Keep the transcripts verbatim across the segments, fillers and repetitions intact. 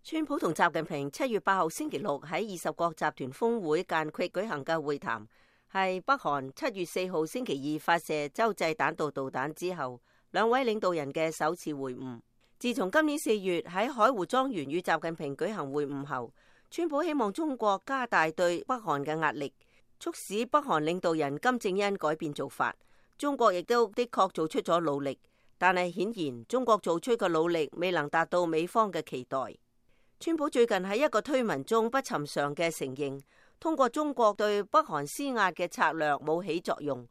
川普同習近平七月八號星期六喺二十國集團峰會間隙舉行嘅會談，係北韓七月四號星期二發射洲際彈道導彈之後，兩位領導人嘅首次會晤。自從今年四月喺海湖莊園與習近平舉行會晤後，川普希望中國加大對北韓嘅壓力，促使北韓領導人金正恩改變做法。中國亦都的確做出咗努力，但係顯然中國做出嘅努力未能達到美方嘅期待。川普最近喺一個推文中不尋常嘅承認，通過中國對北韓施壓嘅策略冇起作用。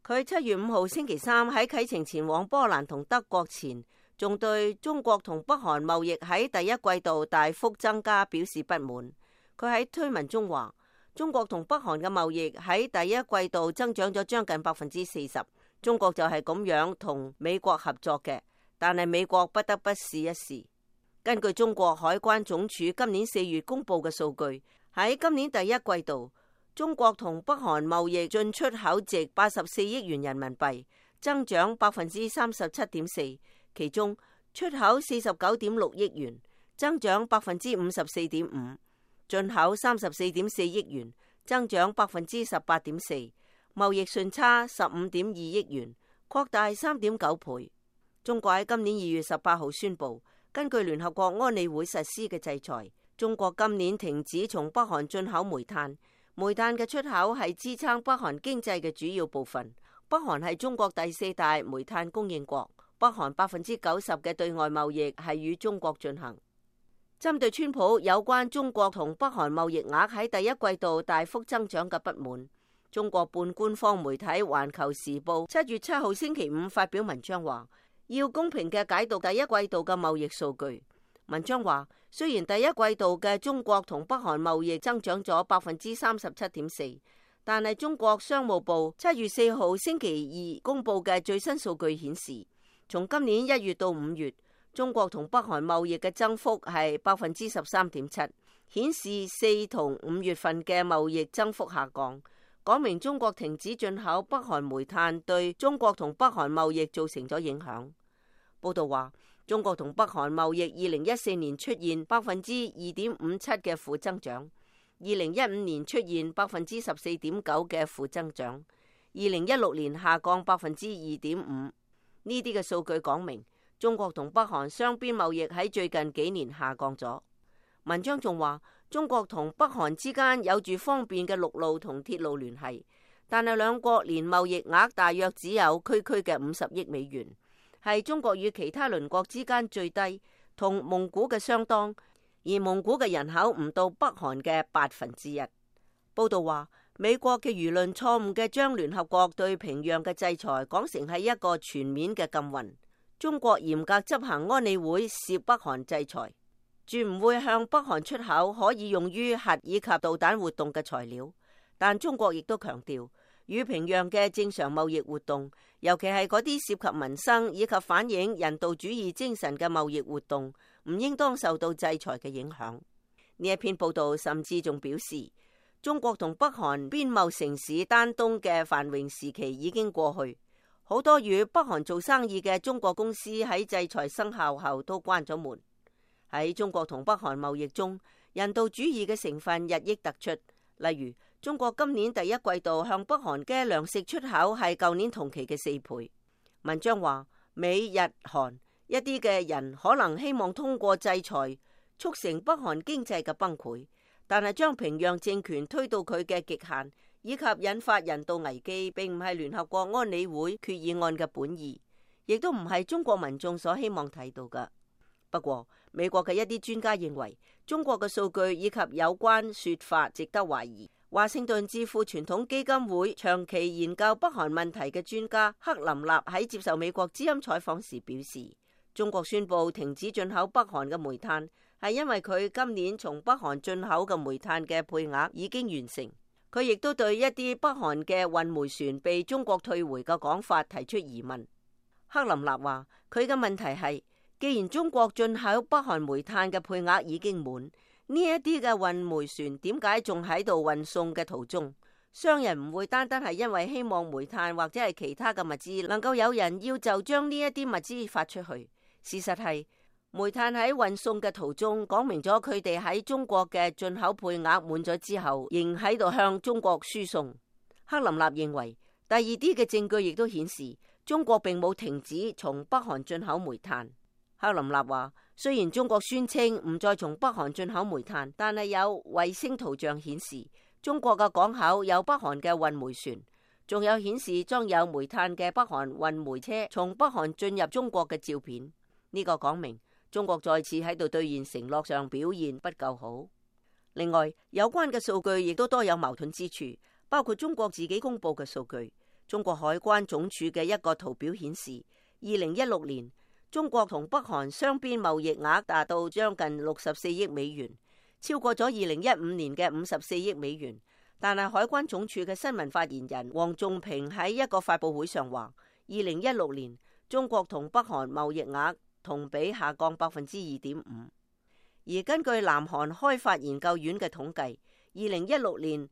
佢七月五號星期三喺啟程前往波蘭同德國前，仲對中國同北韓貿易喺第一季度大幅增加表示不滿。佢喺推文中話，中國同北韓嘅貿易喺第一季度增長咗將近百分之四十，中國就係咁樣同美國合作嘅，但係美國不得不試一試。根據中國海關總署今年四月公布嘅數據，喺今年第一季度，中國同北韓貿易進出口值八十四億元人民幣，增長百分之三十七點四，其中出口四十九點六億元，增長百分之五十四點五，進口三十四點四億元，增長百分之十八點四，貿易順差十五點二億元，擴大三點九倍。中國喺今年二月十八號宣布，根據聯合國安理會實施嘅制裁，中國今年停止從北韓進口煤炭。煤炭嘅出口係支撐北韓經濟嘅主要部分。北韓係中國第四大煤炭供應國，北韓百分之九十嘅對外貿易係與中國進行。針對川普有關中國同北韓貿易額喺第一季度大幅增長嘅不滿，中國半官方媒體《環球時報》七月七號星期五發表文章話，要公平嘅解讀第一季度嘅貿易數據。文章話，雖然第一季度嘅中國同北韓貿易增長咗百分之三十七點四，但係中國商務部七月四號星期二公布嘅最新數據顯示，從今年一月到五月，中國同北韓貿易嘅增幅係百分之十三點七，顯示四同五月份嘅貿易增幅下降，講明中國停止進口北韓煤炭對中國同北韓貿易造成咗影響。報道話，中國同北韓貿易二零一四年出現百分之二點五七嘅負增長，二零一五年出現百分之十四點九嘅負增長，二零一六年下降百分之二點五。呢啲嘅數據講明，中國同北韓雙邊貿易喺最近幾年下降咗。文章仲話，中國同北韓之間有住方便嘅陸路同鐵路聯繫，但係兩國年貿易額大約只有區區嘅五十億美元。係中國與其他鄰國之間最低，同蒙古嘅相當，而蒙古嘅人口唔到北韓嘅八分之一。報道話，美國嘅輿論錯誤嘅將聯合國對平壤嘅制裁講成係一個全面嘅禁運。中國嚴格執行安理會涉北韓制裁，絕唔會向北韓出口可以用於核以及導彈活動嘅材料。但中國亦都強調，與平壤嘅正常貿易活動，尤其係嗰啲涉及民生以及反映人道主義精神嘅貿易活動，唔應當受到制裁嘅影響。呢一篇報道甚至仲表示，中國同北韓邊貿城市丹東嘅繁榮時期已經過去，好多與北韓做生意嘅中國公司喺制裁生效後都關咗門。喺中國同北韓貿易中，人道主義嘅成分日益突出，例如，中國今年第一季度向北韓嘅糧食出口係舊年同期嘅四倍。文章話，美日韓一啲嘅人可能希望通過制裁促成北韓經濟嘅崩潰，但係將平壤政權推到佢嘅極限，以及引發人道危機，並唔係聯合國安理會決議案嘅本意，亦都唔係中國民眾所希望睇到嘅。不過，美國嘅一啲專家認為，中國嘅數據以及有關說法值得懷疑。華盛頓智庫傳統基金會長期研究北韓問題嘅專家克林納喺接受美國之音採訪時表示，中國宣布停止進口北韓嘅煤炭，係因為佢今年從北韓進口嘅煤炭嘅配額已經完成。佢亦都對一啲北韓嘅運煤船被中國退回嘅講法提出疑問。克林納話，佢嘅問題係，既然中國進口北韓煤炭嘅配額已經滿，呢一啲嘅運煤船點解仲喺度運送嘅途中？商人唔會單單係因為希望煤炭或者係其他嘅物資能夠有人要就將呢一啲物資發出去。事實係煤炭喺運送嘅途中講明咗佢哋喺中國嘅進口配額滿咗之後，仍喺度向中國輸送。克林納認為，第二啲嘅證據亦都顯示中國並冇停止從北韓進口煤炭。克林納話，雖然中國宣稱唔再從北韓進口煤炭，但係有衛星圖像顯示中國嘅港口有北韓嘅運煤船，仲有顯示裝有煤炭嘅北韓運煤車從北韓進入中國嘅照片。呢個講明中國再次喺度兌現承諾上表現不夠好。另外，有關嘅數據亦都多有矛盾之處，包括中國自己公布嘅數據。中國海關總署嘅一個圖表顯示，二零一六年中國同北韓雙邊貿易額達到將近六十四億美元，超過咗二零一五年嘅五十四億美元。但係海關總署嘅新聞發言人黃仲平喺一個發佈會上話，二零一六年中國同北韓貿易額同比下降百分之二點五。而根據南韓開發研究院嘅統計，二零一六年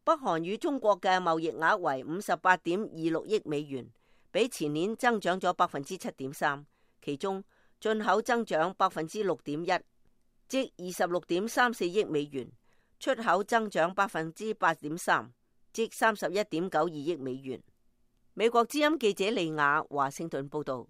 北韓與中國嘅貿易額為五十八點二六億美元，比前年增長咗百分之七點三。其中進口增長百分之六點一，即二十六點三四億美元；出口增長百分之八點三，即三十一點九二億美元。美國之音記者利亞華盛頓報道。